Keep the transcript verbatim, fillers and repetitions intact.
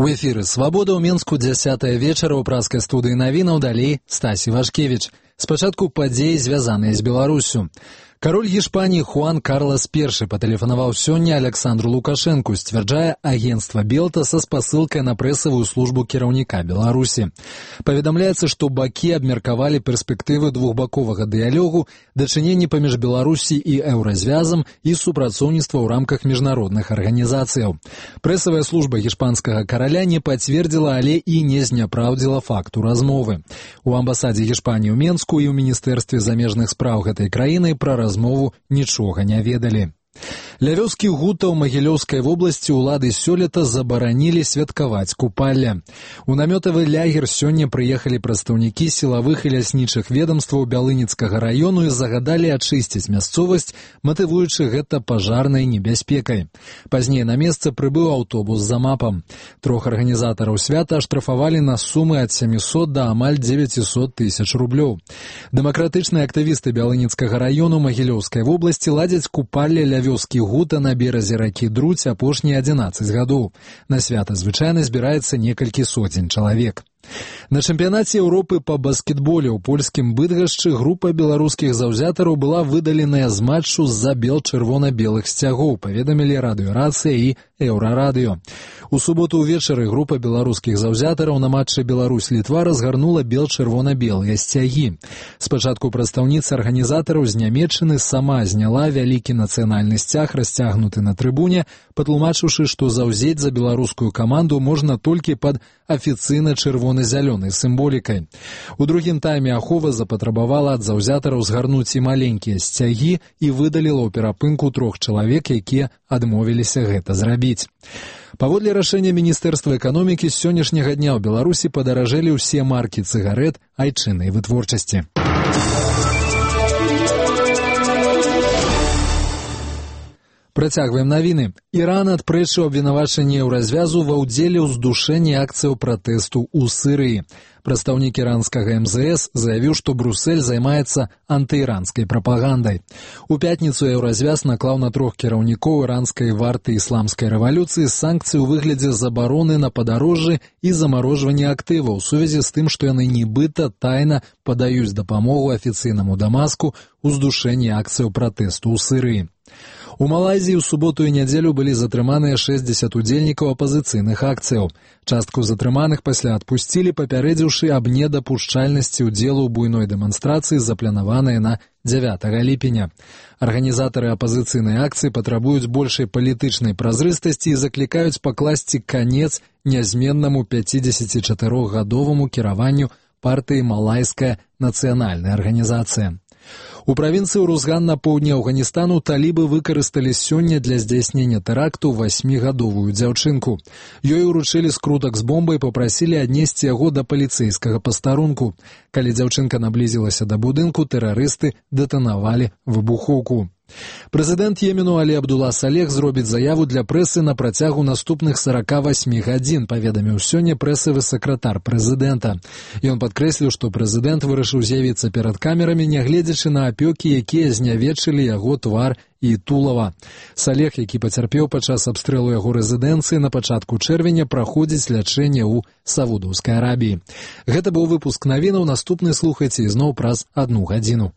У эфіры «Свабода» ў Менску дзясятая вечара ў праскай студыі навінаў, далей Стасі Вашкевіч. Спачатку падзеі, звязаныя з Беларусю. Кароль Гішпаніі Хуан Карлас першы патэлефанаваў сёння Александру Лукашэнку, сцвярджае агенцтва Белта са спасылкай на прэсавую службу кіраўніка Беларусі. Паведамляецца, што бакі абмеркавалі перспектывы двухбаковага дыялогу, дачыненні паміж Беларусі і еўразвязам і супрацоўніцтва ў рамках міжнародных арганізацыяў. Прэсавая служба гішпанскага караля не пацвердзіла, але і не зняпраўдзіла факту размовы. У амбасадзе Гішпаніі ў Менску і ў міністэрстве замежных спраў гэтай краіны пра размову нічога не ведалі. Ля вёскі Гута ў Магілёўскай вобласці ўлады сёлета забаранілі святкаваць купалле. У намётавы лягер сёння прыехалі прадстаўнікі сілавых і ляснічых ведамстваў Бялыніцкага раёну і загадалі ачысціць мясцовасць, матывуючы гэта пажарнай небяспекай. Пазней на месца прыбыў аўтобус за мапам. Трох арганізатараў свята аштрафавалі на сумы ад сямісот да амаль дзевяцісот тысяч рублёў. Дэмакратычныя актывісты Бялыніцкага раёну Магілёўскай вобласці ладзяць купалле ля вёскі Гута на беразе ракі Друць апошнія адзінаццаць гадоў. На свята звычайна збіраецца некалькі сотень чалавек. На чэмпіянаце Еўропы па баскетболе ў польскім Быдгашчы група беларускіх заўзятараў была выдаленая з матчу з-за бел-чырвона-белых сцягоў, паведамілі радыёрацыя і еўрарадыё. У суботу ўвечары група беларускіх заўзятараў на матчы Беларусь-Літва разгарнула бел-чырвона-белыя сцягі. Спачатку прадстаўніца арганізатараў з Нямецчыны сама зняла вялікі нацыянальны сцяг, расцягнуты на трыбуне, патлумачыўшы, што заўзець за беларускую каманду можна толькі пад афіцыйна чырвона-зялёнай сімволікай. У другім тайме ахова запатрабавала ад заўзятараў згарнуць і маленькія сцягі і выдаліла ў перапынку трох чалавек, якія адмовіліся гэта зрабіць. Паводле рашэння Міністэрства эканомікі з сённяшняга дня ў Беларусі падаражэлі ўсе маркі цыгарэт айчыннай вытворчасці. Працягваем навіны. Іран адпрэчыў абвінавачанне еўразвязу ва ўдзеле ў здушэнні акцыяў пратэсту ў Сірыі. Прадстаўнік іранскага эм зэ эс заявіў, што Брюссель займаецца антыіранскай прапагандай. У пятніцу еўразвяз наклаў на трох кіраўнікоў іранскай варты ісламскай рэвалюцыі санкцыі ў выглядзе забароны на падарожжы і замарожвання актываў у сувязі з тым, што яны нібыта тайна падаюць дапамогу афіцыйнаму Дамаску ў здушэнні акцыяў пратэсту ў Сірыі. У Малайзіі ў суботу і нядзелю былі затрыманыя шэсцьдзесят удзельнікаў апазіцыйных акцыяў. Частку затрыманых пасля адпусцілі, папярэдзіўшы аб недапушчальнасці ўдзелу ў буйной дэманстрацыі, запланаванай на дзявятага ліпеня. Арганізатары апазіцыйнай акцыі патрабуюць большай палітычнай празрыстасці і заклікаюць пакласці канец нязменнаму пяцідзесяцічатырохгадоваму кіраванню партыі Малайская нацыянальная арганізацыя. У правінцыі Урузган на поўдні Афганістану талібы выкарысталі сёння для здзяйснення тэракту васьмігадовую дзяўчынку. Ёй уручылі скрутак з бомбай і папрасілі аднесці яго да паліцэйскага пастарунку. Калі дзяўчынка наблізілася да будынку, тэрарысты дэтанавалі выбухоўку. Прэзідэнт Йемену Алі Абдула Салех зробіць заяву для прэсы на працягу наступных сарака васьмі гадзін, паведаміў сёння прэсавы сакратар прэзідэнта. Ён падкрэсліў, што прэзідэнт вырашыў з'явіцца перад камерамі, нягледзячы на апёкі, якія знявечылі яго твар і тулава. Салех, які пацярпеў падчас абстрэлу яго рэзідэнцыі на пачатку чэрвеня, праходзіць лячэнне ў Саудаўскай Арабіі. Гэта быў выпуск навінаў, наступны слухайце ізноў праз адну гадзіну.